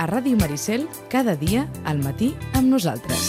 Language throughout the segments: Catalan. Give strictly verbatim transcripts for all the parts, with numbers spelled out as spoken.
A Ràdio Maricel, cada dia, al matí, amb nosaltres.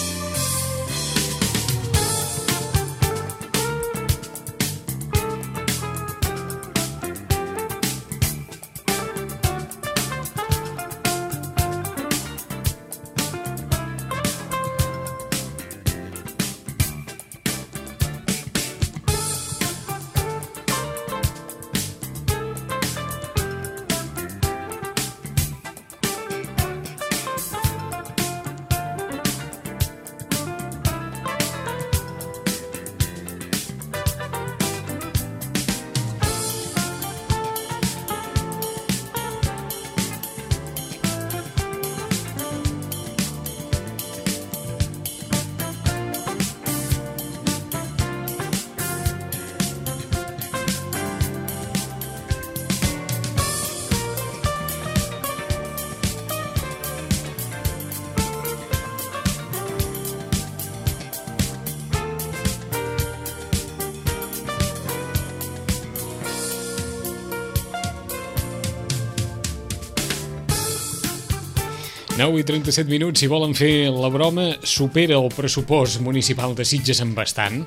nou i trenta-set minuts, si volen fer la broma, supera el pressupost municipal de Sitges en bastant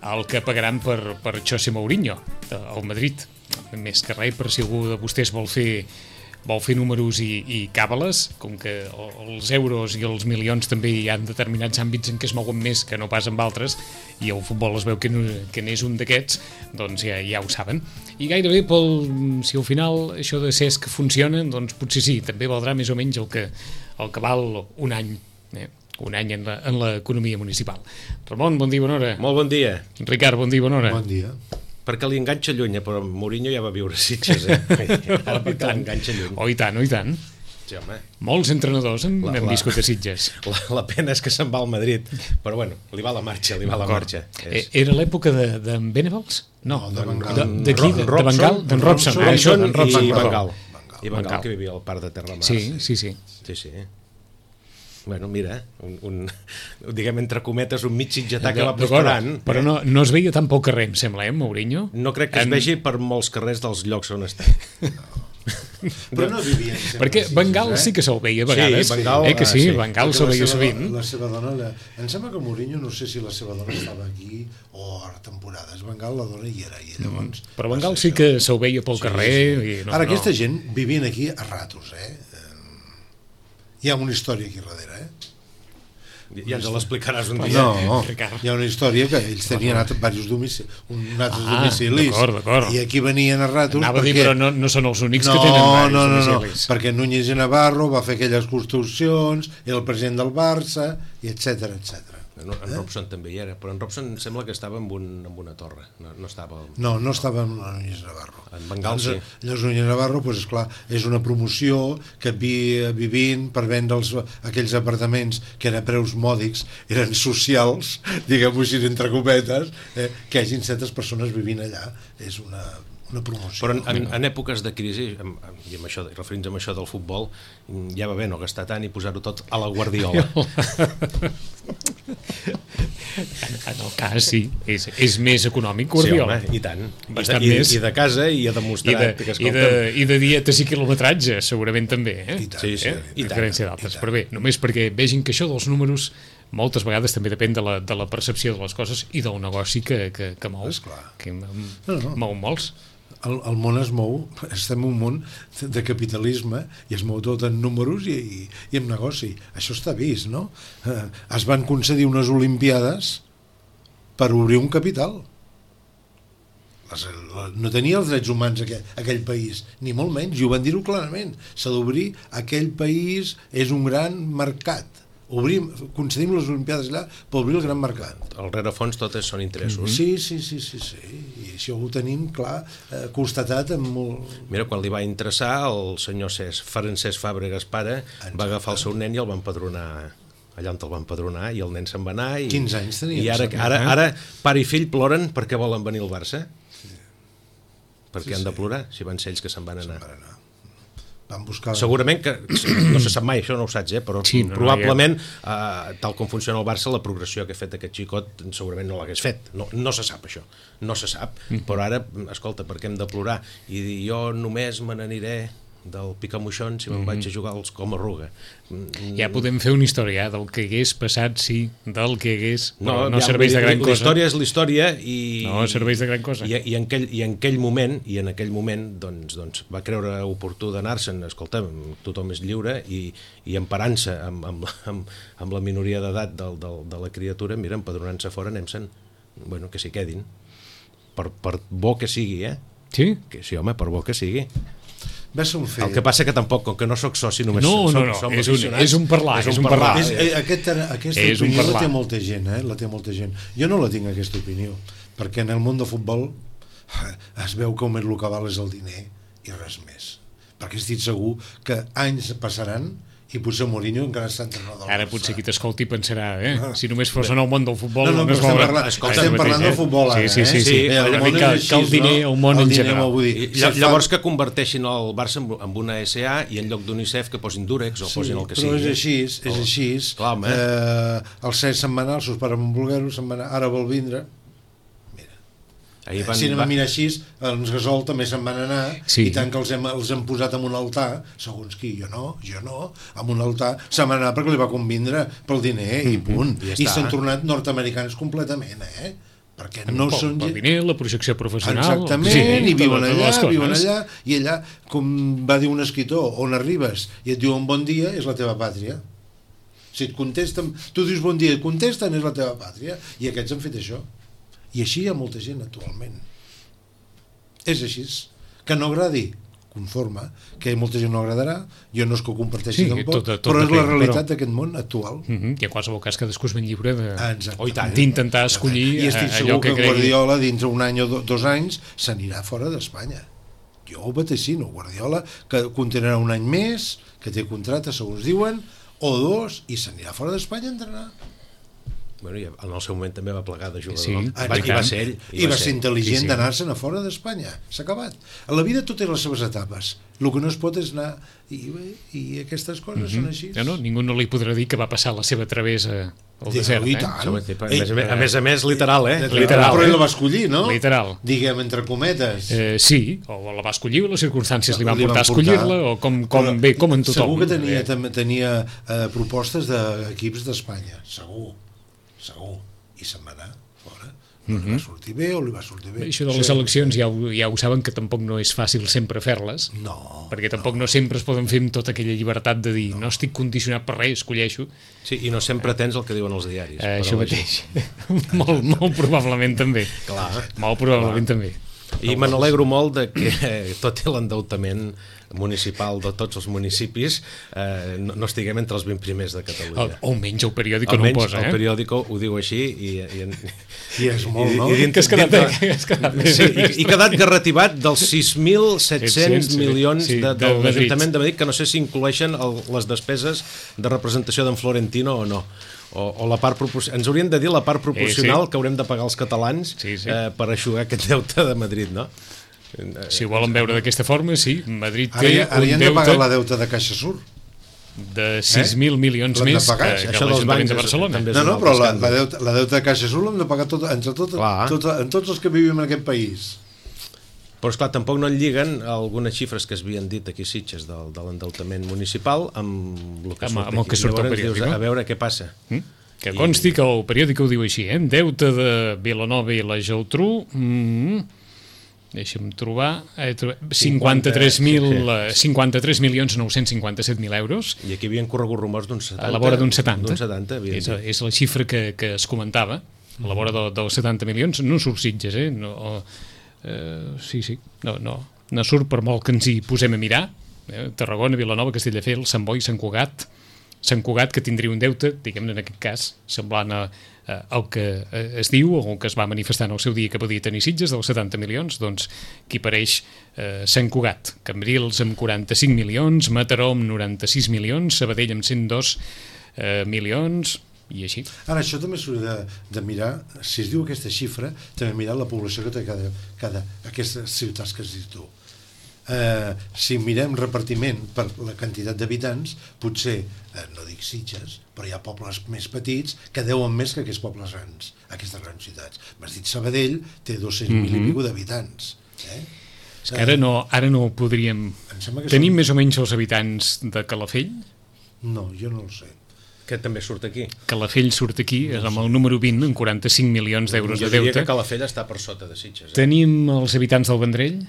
el que pagaran per, per José Mourinho, al Madrid. Més que res, per si algú de vostès vol fer, vol fer números i, i càbales, com que els euros i els milions també hi ha determinats àmbits en què es mouen més que no pas amb altres, i el futbol es veu que, no, que n'és un d'aquests, doncs ja, ja ho saben. I gairebé, pel, si al final això de C E S que funciona, doncs potser sí, també valdrà més o menys el que, el que val un any, eh? un any en la, en l'economia municipal. Ramon, bon dia, bona hora. Molt bon dia. Ricard, bon dia, bona hora. Bon dia. Perquè li enganxa lluny, però Mourinho ja va viure a Sitges, eh? Ara perquè l'enganxa lluny. Oh, i tant, oh, i tant. Sí, home. Molts entrenadors hem, La- hem la- viscut a Sitges. La, la pena és que se'n va al Madrid, però bueno, li va la marxa, li va la marxa. Eh, Era l'època de- d'en Benevals? No, No, de Van Gaal. de, de qui? De, de Robson, Bengal? D'en Robson. Ah, això, d'en Robson, i perdó. Van Gaal. I Van Van Gaal, Gaal. que vivia al parc de Terramar. Sí, sí, sí. Sí, sí. Bueno, mira, un, un, diguem entre cometes, un mig sitgetà que va D'acord, prosperant. però no, no es veia tan pel carrer, em sembla, eh, Mourinho? No crec que es En- vegi per molts carrers dels llocs on està. Però no vivien sempre Perquè a Sitges, Bengal eh? sí que se'l veia a vegades. Van Gaal, eh, que sí, ah, sí. Van Gaal Perquè se'l la veia seva sovint. do- La seva dona... La... Em sembla que Mourinho, no sé si la seva dona estava aquí o a temporades. Van Gaal, la dona hi era, i llavors... Però Van Gaal sí que se'l veia pel carrer. I no, Ara, no. aquesta gent vivien aquí a ratos, eh? Hi ha una història aquí darrere, eh? Ja ens l'explicaràs un dia. No, Ricard. hi ha una història que ells tenien diversos domicilis, uns altres Ah, domicilis, d'acord, d'acord. i aquí venien a ratos Anava a dir, perquè... però no, no són els únics no, que tenen no, diversos no, no, domicilis. perquè Núñez i Navarro va fer aquelles construccions, era el president del Barça, i etcètera, etcètera. En, en Robson també hi era, però en Robson sembla que estava en, un, en una torre, no, no estava... No, no estava amb Núñez Navarro. En Van Gaal, Llavors, sí. llavors Núñez Navarro, doncs, esclar, és una promoció que havia vivint per vendre els, aquells apartaments que eren a preus mòdics, eren socials, diguem-ho així, entre cometes, eh, que hagin certes persones vivint allà. És una, una promoció. Però en, en, en èpoques de crisi, amb, i amb això, referint amb això del futbol, ja va bé no gastar tant i posar-ho tot a la Guardiola. En el cas, sí, és, és més econòmic Sí, Guardiola. home, i tant. I, Bastant i, més. I de casa i ha I demostrat de, que, i, de, escolta'm, I de dietes i quilometratge, segurament també, eh? I tant, sí, sí, eh? i A tant, diferència d'altres. Però bé, només perquè vegin que això dels números moltes vegades també depèn de la, de la percepció de les coses i del negoci que, que, que mou, Esclar. que m- No, no. mou molts. El, el món es mou, estem en un món de capitalisme i es mou tot en números i, i, i en negoci. Això està vist, no? Eh, es van concedir unes Olimpiades per obrir un capital. Les, la, no tenia els drets humans aquell, aquell país, ni molt menys, i ho van dir-ho clarament. S'ha d'obrir, aquell país és un gran mercat. Obrim, concedim les Olimpiades allà per obrir el gran mercat. al rerefons totes són interessos. Sí, sí, sí, sí, sí. I això ho tenim clar, eh, constatat amb molt... Mira, quan li va interessar, el senyor Cesc, Francesc Fàbregas pare, va agafar el seu nen i el va empadronar allà on el va empadronar, i el nen se'n va anar i, quinze anys tenia, i ara, em sembla, ara, eh? ara pare i fill ploren perquè volen venir al Barça. Perquè Sí, han de sí. plorar si van ser ells que se'n van anar. Per anar. Van buscar... Segurament que, no se sap mai, això no ho saps, eh? Però Sí, no, no, probablement, eh, tal com funciona el Barça, la progressió que ha fet aquest xicot segurament no l'hagués fet. No, no se sap això, no se sap. Mm. Però ara, escolta, perquè hem de plorar? I dir, jo només me n'aniré del Picamoixons i me'n mm-hmm. vaig a jugar als Comarruga. Ja podem fer una història del que hagués passat, sí, del que hagués, no, no ja, serveix de gran cosa. L'història és l'història i... No serveix de gran cosa. I, i, en aquell, i en aquell moment, i en aquell moment doncs, doncs, va creure oportú d'anar-se'n, escolta'm, tothom és lliure, i, i emparant-se amb, amb, amb, amb la minoria d'edat del, del, de la criatura, mira, empadronant-se fora, anem-se'n, bueno, que s'hi quedin. Per, per bo que sigui, eh? Sí? Que, sí, home, per bo que sigui. Va ser un fet. El que passa que tampoc, com que no sóc soci, només no, som, no, no, som és, un, és un parlar, és un parlar. És, eh, aquest, aquesta és opinió la té molta gent, eh? La té molta gent. Jo no la tinc, aquesta opinió, perquè en el món de futbol es veu que només el que val és el diner i res més. Perquè estic segur que anys passaran i potser Mourinho encara està entrenador. Ara potser qui t'escolti pensarà, eh? Si només fos en el món del futbol... No, no, no estem parlant, escolta, estem parlant del futbol ara, sí, sí, sí, sí. eh? El món és així, el diner, el món en general. I, llavors que converteixin el Barça en una S A i en lloc d'UNICEF que posin Durex o sí, posin el que sigui. sigui. Però és així, és així. Clar, eh, el set setmanal, sos pare amb un bolguero, ara vol vindre... Ahir van, si anem a mirar així, els Gasol també se'n van anar, sí. I tant que els hem, els hem posat en un altar, segons qui, jo no, jo no, en un altar, se'n van anar perquè li va convindre pel diner, i punt. Mm-hmm. I, I s'han tornat nord-americans completament, eh? Perquè no pel, són... Pel diner, la projecció professional... Exactament, sí, i viuen allà, viuen allà, i allà, com va dir un escritor, on arribes i et diuen bon dia, és la teva pàtria. Si et contesten, tu dius bon dia i et contesten, és la teva pàtria, i aquests han fet això. I així hi ha molta gent actualment. És així. Que no agradi, conforme, que molta gent no agradarà, jo no és que ho comparteixi sí, tampoc, tot, tot però és la realitat d'aquest món actual. Uh-huh. I en qualsevol cas cadascú es ben lliure d'intentar escollir I estic allò segur que, que cregui. Guardiola dins un any o do, dos anys s'anirà fora d'Espanya. Jo ho vaticino, Guardiola que continuarà un any més, que té contracte segons diuen, o dos, i s'anirà fora d'Espanya a entrenar. Bueno, i en el seu moment també va plegar de jugador. Sí, I va, i va ser ell. I, I va ser intel·ligent sí, sí. d'anar-se'n a fora d'Espanya. S'ha acabat. A la vida tot té les seves etapes. El que no es pot és anar... I, i aquestes coses mm-hmm. són així. No, no, ningú no li podrà dir que va passar la seva travessa al sí, desert. Eh? A, més, a més a més, literal, eh? Literal, però eh? ell la va escollir, no? Literal. Diguem, entre cometes. Eh, sí, o la va escollir, o les circumstàncies li van li portar a escollir-la, o com, com bé, com en tothom. Segur que tenia, eh? tenia eh, propostes d'equips d'Espanya. Segur. Segur. I se'n va anar fora. No li va sortir bé o li va sortir bé. Això de les eleccions ja ho, ja ho saben que tampoc no és fàcil sempre fer-les, no, perquè tampoc no. no sempre es poden fer amb tota aquella llibertat de dir no, no estic condicionat per res, escolleixo. Sí, i no sempre tens el que diuen els diaris. Eh, això mateix. molt, molt probablement també. Clar. Molt probablement Clar. també. I me n'alegro molt de que tot l'endeutament municipal de tots els municipis eh, no, no estiguem entre els vint primers de Catalunya. O almenys el periòdico no ho posa, eh? El periòdico ho diu així i, i, i és molt, no? I, i que has quedat, dintre, has quedat sí, i, i quedat garrativat dels sis mil set-cents milions sí, de, de, de l'Ajuntament de Madrid, que no sé si incloeixen el, les despeses de representació d'en Florentino o no. O, o la part proporcional. Ens haurien de dir la part proporcional sí, sí. que haurem de pagar els catalans sí, sí. Eh, per eixugar aquest deute de Madrid, no? Si ho volen veure d'aquesta forma, sí. Madrid té ara, ara un deute... Ara hem de pagar la deuta de Caixa Sur. De sis mil eh? milions més que, que l'Ajuntament de Barcelona. No, no, però la, la, deuta, la deuta de Caixa Sur l'hem de pagar tot, entre tot, tot, en tots els que vivim en aquest país. Però, esclar, tampoc no en lliguen algunes xifres que es havien dit aquí a Sitges del, de l'endeutament municipal amb el que surt, amb el que surt al periòdico. A veure què passa. Mm? Que consti que el periòdico ho diu així, eh? Deute de Vilanova i la Geltrú, mm, deixa'm trobar, eh, cinquanta-tres milions nou-cents cinquanta-set mil euros. I aquí havien corregut rumors d'un setanta. A la vora d'un setanta. setanta és, és la xifra que, que es comentava, a la vora de, dels setanta milions, no surt Sitges, eh? No, eh sí, sí, no, no, no surt per molt que ens hi posem a mirar, eh? Tarragona, Vilanova, Castelldefels, Sant Boi, Sant Cugat, Sant Cugat, que tindria un deute, diguem-ne en aquest cas, semblant a, a, al que es diu o el que es va manifestar en el seu dia que podia tenir Sitges, dels setanta milions, doncs qui pareix eh, Sant Cugat, Cambrils amb quaranta-cinc milions, Mataró amb noranta-sis milions, Sabadell amb cent dos eh, milions, i així. Ara, això també s'hauria de, de mirar, si es diu aquesta xifra, també mirar la població que té cada, cada aquestes ciutats que has dit tu. Eh, si mirem repartiment per la quantitat d'habitants, potser, eh, no dic Sitges, però hi ha pobles més petits que deuen més que aquests pobles grans, aquestes grans ciutats. M'has dit Sabadell, té dos-cents mil mm-hmm. i escaig d'habitants. Eh? És que ara no, ara no ho podríem... Tenim són... més o menys els habitants de Calafell? No, jo no ho sé. Que també surt aquí. Calafell surt aquí, és amb el número vint, amb quaranta-cinc milions d'euros de deute. Jo diria que Calafell està per sota de Sitges. Eh? Tenim els habitants del Vendrell?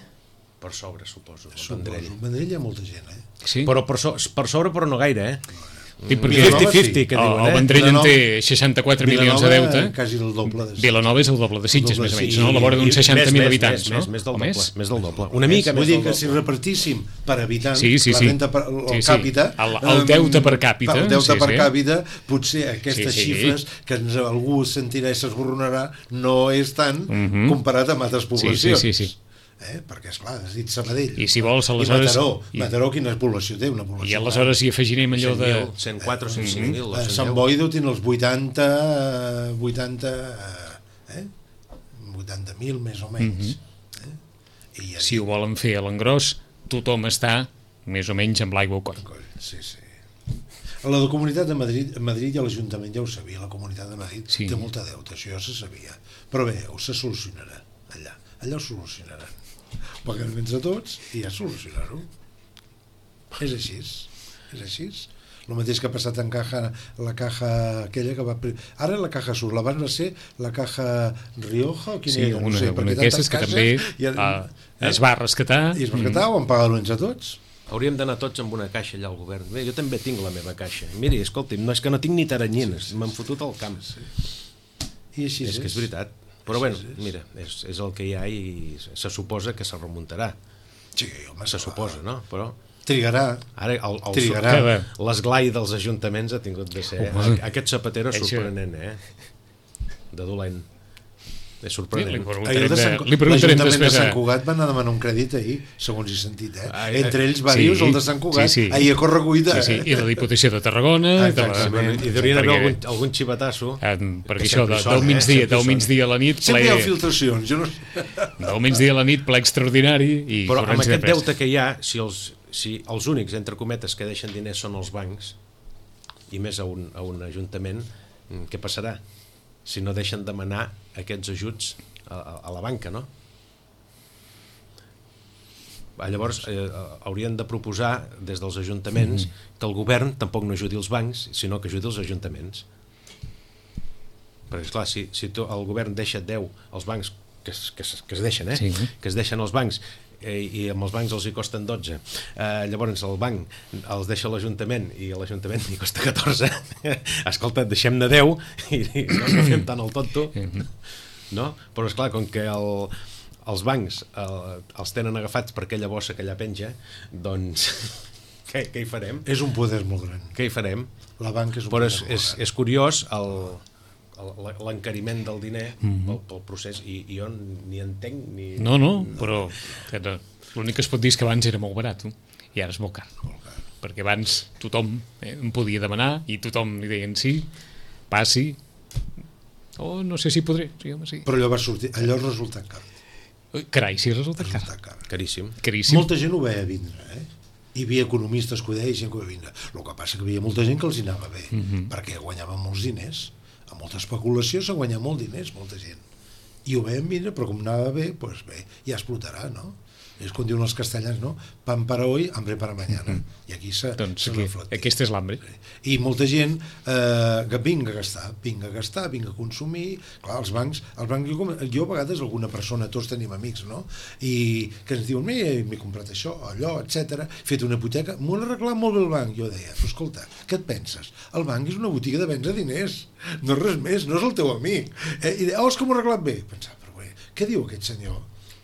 Per sobre, suposo. El Suposo. Vendrell. El Vendrell hi ha molta gent, eh? Sí? Però per, so, per sobre, però no gaire, eh? Sí, perquè cinquanta cinquanta, que diuen, el eh? Vendrell en Vilanova- té seixanta-quatre milions de deute. Quasi el doble de Sitges. Vilanova és el doble de Sitges, El doble, més o menys, sí. no? A la vora d'uns I- seixanta mil més, habitants, més, no? Més, més del O doble. més? Més del doble. Una mica Vull més dir del que doble. si repartíssim per habitant Sí, sí, la sí. renta per, el Sí, sí. càpita... El- el deute per càpita, El deute sí, per sí. càpita, potser aquestes Sí, sí. xifres que ens, algú sentirà i s'esborronarà no és tant Mhm. comparat amb altres Sí, poblacions. sí, sí, sí. Eh? Perquè, esclar, has dit Sabadell. I si vols, I aleshores- Mataró. i- Mataró, quina població té? Una població I aleshores hi afegirem allò de... cent quatre o cent cinc mil. Eh, Sant Boi deu tenir els vuitanta... vuitanta... Eh? vuitanta mil, més o menys. eh? I ja Si ho volen fer a l'engròs, tothom està més o menys amb l'aigua al coll. Sí, sí. A la de Comunitat de Madrid, Madrid i a l'Ajuntament ja ho sabia, la Comunitat de Madrid Sí. té molta deute, això ja se sabia. Però bé, ho se solucionarà, allà. Allà ho solucionaran. Ho paguem entre tots i ja solucionar-ho. És així, és així. El mateix que ha passat en caja, la caja aquella que va... Ara la caja sur, abans va ser la caja Rioja o quina Sí, era? una, no sé, una perquè d'aquestes tantes que caixes també i ara- uh, es va rescatar. I es va rescatar, ho han pagat entre tots. Hauríem d'anar tots amb una caixa allà al govern. Bé, jo també tinc la meva caixa. Miri, escolti'm, no és que no tinc ni taranyines, m'han fotut al camp. I així És que és veritat. Però bueno, mira, és, és el que hi ha i se suposa que se remuntarà. Sí, home, Se suposa, no? Però trigarà. ara el, el, Trigarà. l'esglai dels ajuntaments ha tingut de ser... Home. Aquest Zapatero és Això- sorprenent, eh? De dolent. És Sí, li sorprenent. Ahir preguntarem, el de Sant, de, li preguntarem l'Ajuntament de després Sant a... Cugat va anar a demanar un crèdit ahir, segons he sentit, eh? Ah, eh, Entre ells sí, varios, el de Sant Cugat, sí, sí. ahir a correcuita. Sí, sí, i la Diputació de Tarragona... Ah, i de la- exactament. I hauria d'haver perquè- algun, algun xivatasso. Eh, perquè Que això, sempre de, hi són, del eh? migdia, Sempre hi del són. migdia a la nit, Sempre hi ha ple, filtracions, jo no sé. del migdia a la nit, ple extraordinari i Però amb corrents de aquest pes. deute que hi ha, si els, si els únics, entre cometes, que deixen diners són els bancs, i més a un, a un ajuntament, mm, què passarà? Si no deixen demanar aquests ajuts a, a, a la banca, no? Ah, Llavors, eh, haurien de proposar des dels ajuntaments mm -hmm. que el govern tampoc no ajudi els bancs, sinó que ajudi els ajuntaments. Perquè, esclar, si, si tu, el govern deixa deu als bancs, que es, que es, que es deixen, eh? Sí. que es deixen els bancs, eh, i amb els bancs els hi costen dotze, eh, llavors el banc els deixa l'Ajuntament i a l'Ajuntament li costa catorze. Escolta, deixem-ne deu i, i no, no fem tant el tonto, no? Però esclar, com que el, els bancs eh, els tenen agafats per aquella bossa que allà penja, doncs què, què hi farem? És un poder molt gran. Què hi farem? La banca és un Però poder és, molt és, gran. és curiós el el- l'encariment del diner pel, pel procés i, i jo ni entenc ni... No, no, però que no, l'únic que es pot dir és que abans era molt barat eh? I ara és molt car, perquè abans tothom eh, em podia demanar i tothom li deien sí, passi, o no sé si podré, sí, home, sí. Però allò va sortir, allò resulta car. Ui, carai, sí, resulta car, Resulta car. Caríssim. caríssim. Molta gent ho veia vindre, eh? Hi havia economistes que ho deien i gent que ho veia vindre. El que passa que hi havia molta gent que els hi anava bé, Mhm. perquè guanyaven molts diners. Amb molta especulació s'ha guanyat molts diners, molta gent. I ho veien vindre, però com anava bé, doncs bé, ja explotarà, no? És com diuen els castellans, no? Pan para hoy, hambre para mañana. I aquí se, Doncs se aquí, reflecteix. aquesta és l'hambre. I molta gent eh, que vinga a gastar, vinga a gastar, vinga a consumir. Clar, els bancs, els bancs jo, com- jo a vegades alguna persona, tots tenim amics, no? I que ens diuen, m'he comprat això, allò, etcètera, he fet una hipoteca, m'ho han arreglat molt bé el banc. Jo deia, però escolta, què et penses? El banc és una botiga de vendre diners, no és res més, no és el teu amic. Eh? I deia, oh, és que m'ho ha arreglat bé. Pensava, però bé, què diu aquest senyor?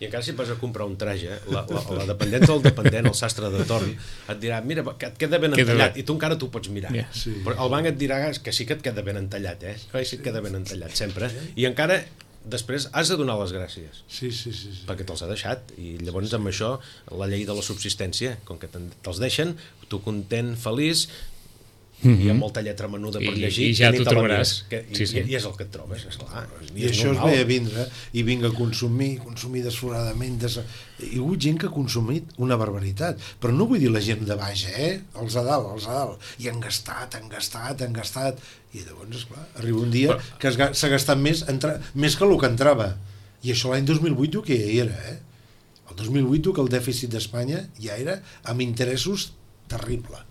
I encara si vas a comprar un traje, la, la, la dependència del dependent, el sastre de torn, et dirà, mira, que et queda ben Queda entallat, bé. i tu encara t'ho pots mirar. Ja. Sí. Però el banc et dirà que sí que et queda ben entallat, eh? Oi, sí que et queda ben entallat, sempre. I encara, després, has de donar les gràcies, Sí, sí, sí. sí. perquè te'ls ha deixat. I llavors, amb això, la llei de la subsistència, com que te'n- te'ls deixen, tu content, feliç, i amb molta lletra menuda per I- llegir, i ja ni t'ho te la trobaràs. mires, que, i, Sí, sí. i és el que et trobes, esclar. I això es ve a vindre i vinga a consumir, consumir desforadament des... hi ha hagut gent que ha consumit una barbaritat, però no vull dir la gent de baix, eh? Els a dalt, els a dalt, i han gastat, han gastat, han gastat, i llavors, esclar, arriba un dia que es ga- s'ha gastat més, entra... més que el que entrava, i això l'any dos mil vuit jo que ja hi era, eh? El dos mil vuit, que el dèficit d'Espanya ja era amb interessos terrible.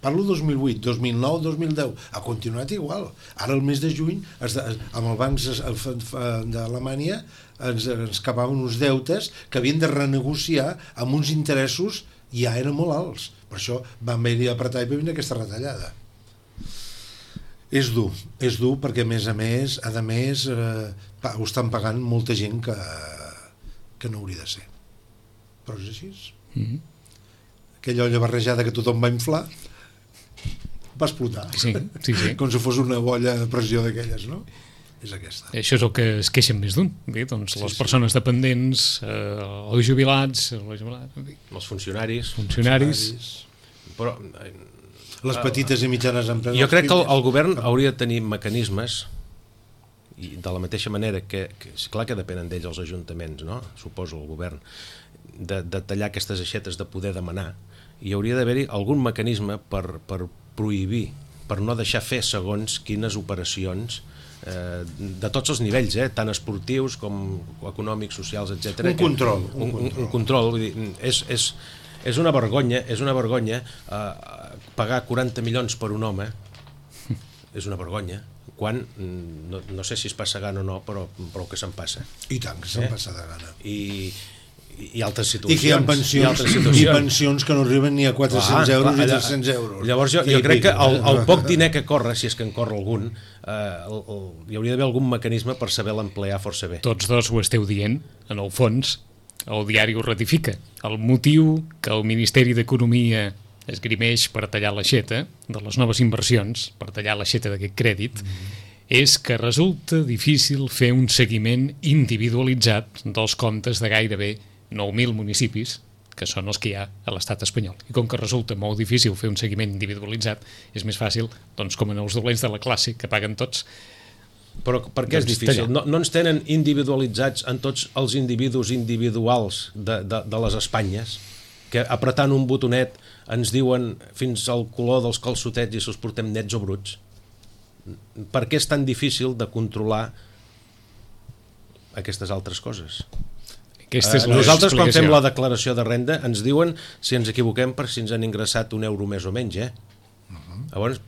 Parlo dos mil vuit, dos mil nou, dos mil deu, ha continuat igual. Ara el mes de juny, es de, amb els bancs d'Alemanya, ens, ens acabaven uns deutes que havien de renegociar amb uns interessos ja eren molt alts. Per això van haver-hi apretar i va venir aquesta retallada. És dur, és dur perquè a més a més, a més, eh, ho estan pagant molta gent que, que no hauria de ser. Però és així. Mm-hmm. Aquella olla barrejada que tothom va inflar va explotar, sí, sí, sí. com si fos una bolla de pressió d'aquelles, no? És aquesta. Això és el que es queixen més d'un. Bé, doncs les sí, persones sí. dependents, eh, els jubilats, els, jubilats, els funcionaris, funcionaris. funcionaris. Però, eh, les petites i mitjanes empreses. Jo crec que el, el govern hauria de tenir mecanismes, i de la mateixa manera que, que clar que depenen d'ells els ajuntaments, no? Suposo el govern, de, de tallar aquestes aixetes de poder demanar, i hauria d'haver-hi algun mecanisme per, per prohibir, per no deixar fer segons quines operacions eh, de tots els nivells, eh, tant esportius com econòmics, socials, etcètera. Un control. Un, un, un control, vull dir, és, és, és una vergonya, és una vergonya eh, pagar quaranta milions per un home, és una vergonya, quan, no, no sé si es passa gana o no, però prou que se'n passa. I tant, que se'n eh? passa de gana. I... i altres situacions. I que hi ha pensions, i, i pensions que no arriben ni a quatre-cents clar, euros clar, i tres-cents euros. Llavors jo, jo crec que el, el poc diner que corre, si és que en corre algun, eh, el, el, hi hauria d'haver algun mecanisme per saber l'emplear força bé. Tots dos ho esteu dient, en el fons, el diari ho ratifica. El motiu que el Ministeri d'Economia esgrimeix per tallar l'aixeta de les noves inversions, per tallar l'aixeta d'aquest crèdit, mm. és que resulta difícil fer un seguiment individualitzat dels comptes de gairebé nou mil municipis, que són els que hi ha a l'estat espanyol. I com que resulta molt difícil fer un seguiment individualitzat, és més fàcil, doncs, com en els dolents de la classe, que paguen tots. Però per què és difícil? No, no ens tenen individualitzats en tots els individus individuals de, de, de les Espanyes, que apretant un botonet ens diuen fins al color dels calçotets i si els portem nets o bruts? Per què és tan difícil de controlar aquestes altres coses? Aquesta és uh, nosaltres quan fem la declaració de renda ens diuen si ens equivoquem per si ens han ingressat un euro més o menys, eh? Uh-huh. Llavors,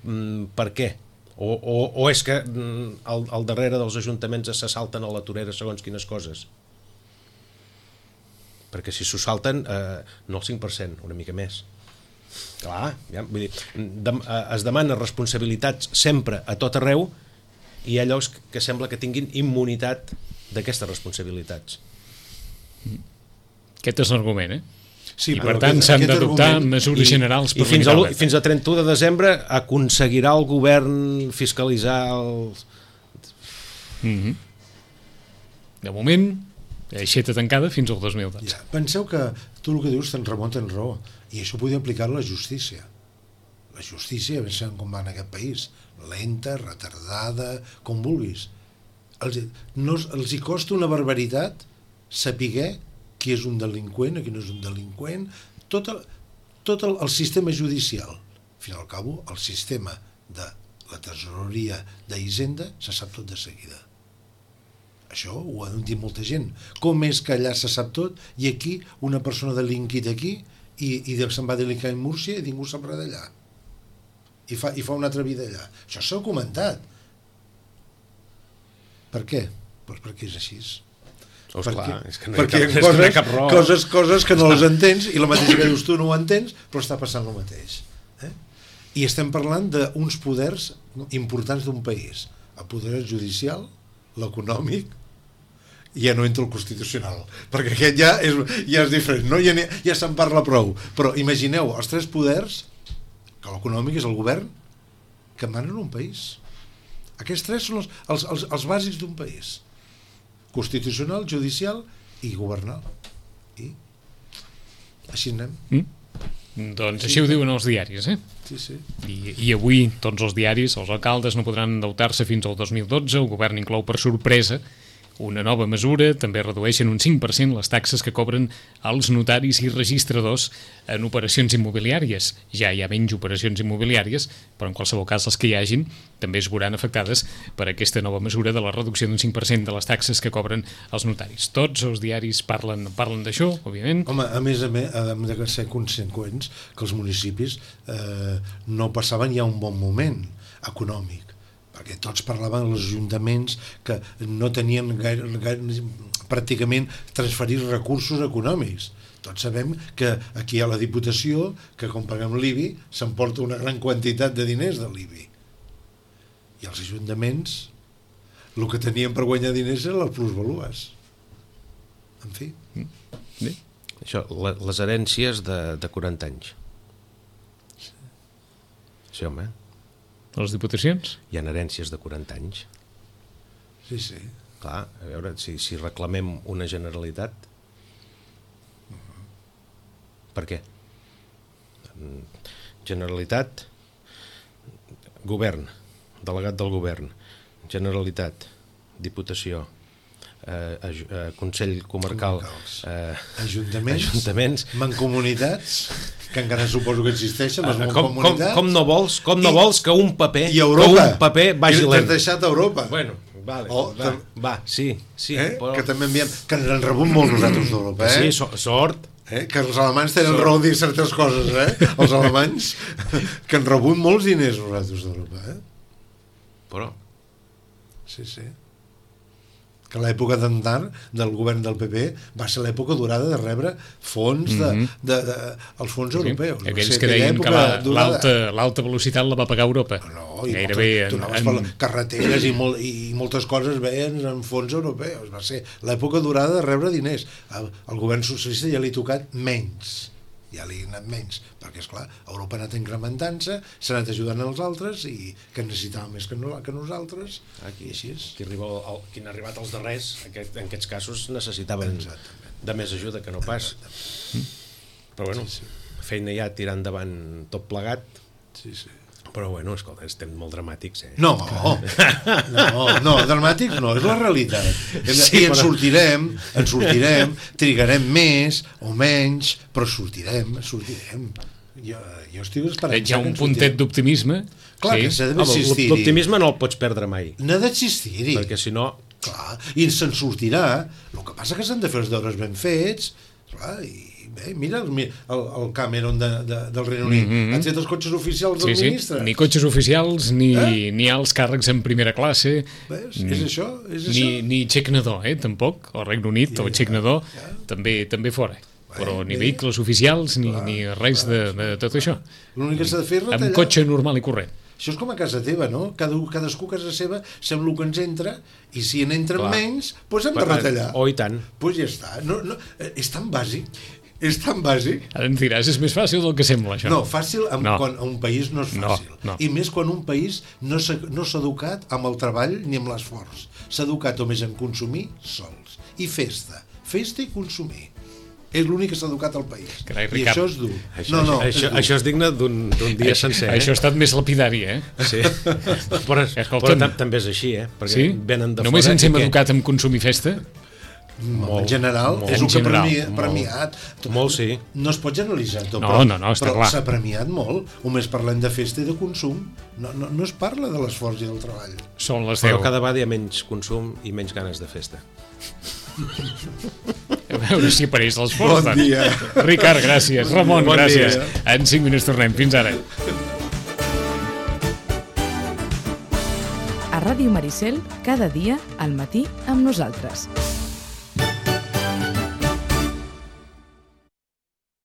per què? O, o, o és que al, al darrere dels ajuntaments se salten a la torera segons quines coses? Perquè si s'ho salten, eh, no el cinc per cent, una mica més. Clar, ja, vull dir, de, eh, es demana responsabilitats sempre a tot arreu i hi ha llocs que sembla que tinguin immunitat d'aquestes responsabilitats. Aquest és l'argument, eh? Sí, i per tant s'han d'adoptar mesures i, generals per i fins, al, fins a trenta-u de desembre aconseguirà el govern fiscalitzar els... Mm-hmm. De moment aixeta tancada fins al dos mil dotze. Ja, penseu que tu el que dius te'n remunta en raó i això podria aplicar a la justícia. La justícia, pensem com va en aquest país, lenta, retardada, com vulguis. Els, no, els hi costa una barbaritat saber qui és un delinqüent, qui no és un delinqüent, tot el, tot el, el sistema judicial. Al fin i al cabo, el sistema de la tresoreria d'Hisenda se sap tot de seguida. Això ho ha dit molta gent. Com és que allà se sap tot i aquí una persona ha delinquit aquí i, i se'n va delincar a Múrcia i ningú sap res d'allà. I fa, I fa una altra vida allà. Això s'ha comentat. Per què? Pues perquè és així. Oh, perquè clar, és que no perquè hi ha cap, coses, no hi ha cap raó. Coses, coses que no les entens i la mateixa que dius tu no ho entens, però està passant el mateix. Eh? I estem parlant d'uns poders importants d'un país. El poder judicial, l'econòmic, i ja no entra el constitucional, perquè aquest ja és, ja és diferent, no? ja, ja se'n parla prou. Però imagineu, els tres poders, que l'econòmic és el govern, que manen un país. Aquests tres són els, els, els, els bàsics d'un país. Constitucional, judicial i governal. I així anem. Mm? Doncs així, així ho diuen els diaris, eh? Sí, sí. I, I avui tots els diaris, els alcaldes no podran endeutar-se fins al dos mil dotze, el govern inclou per sorpresa una nova mesura, també redueixen un cinc per cent les taxes que cobren els notaris i registradors en operacions immobiliàries. Ja hi ha menys operacions immobiliàries, però en qualsevol cas les que hi hagin també es veuran afectades per aquesta nova mesura de la reducció d'un cinc per cent de les taxes que cobren els notaris. Tots els diaris parlen, parlen d'això, òbviament. Home, a més a més, hem de ser conseqüents que els municipis eh, no passaven ja un bon moment econòmic, perquè tots parlaven dels ajuntaments que no tenien gaire, gaire, pràcticament transferir recursos econòmics. Tots sabem que aquí hi ha la Diputació, que quan paguem l'I B I s'emporta una gran quantitat de diners de l'I B I. I els ajuntaments el que tenien per guanyar diners eren les plusvalues. En fi. Bé. Això, les herències de, de quaranta anys. Sí, home. Les diputacions? Hi ha herències de quaranta anys. Sí, sí. Clar, a veure, si, si reclamem una Generalitat, per què? Generalitat, govern, delegat del govern, Generalitat, Diputació, eh, eh, Consell Comarcal, eh, ajuntaments, ajuntaments, mancomunitats, que encara suposo que existeixen, les com, mancomunitats. Com, com no vols, com no vols que un paper, i Europa, que un paper vagi lent. T'has deixat a Europa. Bueno, vale, oh, va, va, sí, sí. Eh? Però... Que també enviem, que ens han rebut molt nosaltres d'Europa, eh? Sí, so, sort. Eh? Que els alemanys tenen sort. Raó de dir certes coses, eh? Els alemanys, que han rebut molts diners nosaltres d'Europa, eh? Però... Sí, sí. Que l'època d'Andar, del govern del P P, va ser l'època durada de rebre fons de, mm -hmm. de, de, els fons sí, europeus. Aquells que deien que l'alta la, velocitat la va pagar Europa. No, i gairebé moltes, en, en... carreteres i, molt, i moltes coses veien en fons europeus. Va ser l'època durada de rebre diners. El, el govern socialista ja li ha tocat menys. Ja li ha anat menys, perquè esclar, Europa ha anat incrementant-se, s'ha anat ajudant als altres i que necessitava més que, no, que nosaltres. Aquí, així és. Qui, arriba el, qui han arribat els darrers, aquest, en aquests casos necessitaven Exactament. de més ajuda que no pas. Mm. Però bueno, sí, sí. feina ja tirar endavant tot plegat. Sí, sí. Però bueno, escolta, estem molt dramàtics, eh? No, no, no, dramàtics no, és la realitat. Sí, I ens però... sortirem, ens sortirem, trigarem més o menys, però sortirem, sortirem. Jo, jo estic esperant. Hi ha un puntet d'optimisme. Clar, sí. que s'ha d'existir. L'optimisme no el pots perdre mai. N'ha d'existir-hi. Perquè si no... Clar, i se'n sortirà. El que passa que s'han de fer els deures ben fets, clar, i bé, mira el, el, el Cameron de, de, del Regne Unit, mm -hmm. han fet els cotxes oficials del sí, ministre. Sí. Ni cotxes oficials, ni, eh? ni alts càrrecs en primera classe. Ves? Ni, és això? És ni, això? Ni xec nadó, eh, tampoc. El Regne Unit, ja, el xec nadó, ja. també, també fora. Bé, però ni bé. vehicles oficials, ni, clar, ni res clar, de, de tot això. L'únic que s'ha de fer és retallar. Amb cotxe normal i corrent. Això és com a casa teva, no? Cada, cadascú a casa seva sembla que ens entra i si en entren clar. menys, doncs hem de retallar. Oh, i tant. Doncs ja està. No, no, és tan bàsic. És tan bàsic. Ara em diràs, és més fàcil del que sembla, això. No, fàcil amb, no. quan un país no és fàcil. No, no. I més quan un país no s'ha no s'ha educat amb el treball ni amb l'esforç. S'ha educat només en consumir sols. I festa. Festa i consumir. És l'únic que s'ha educat al país. Carai, I això és dur. Això, no, no, això, és, dur. això és digne d'un dia això, sencer. Eh? Això ha estat més lapidari, eh? Sí. però però també és així, eh? Perquè sí? venen de Només fora ens hem educat en consumir festa? Molt, en general, molt, és el que ha premi, premiat. Molt, molt, sí. No es pot generalitzar tot, no, però, no, no, però clar. s'ha premiat molt. Només parlem de festa i de consum. No, no, no es parla de l'esforç i del treball. Són les deu. Però cada vegada hi ha menys consum i menys ganes de festa. A veure si apareix l'esforç. Bon dia. Ricard, gràcies. Ramon, bon gràcies. Dia. En cinc minuts tornem. Fins ara. A Ràdio Maricel, cada dia al matí amb nosaltres.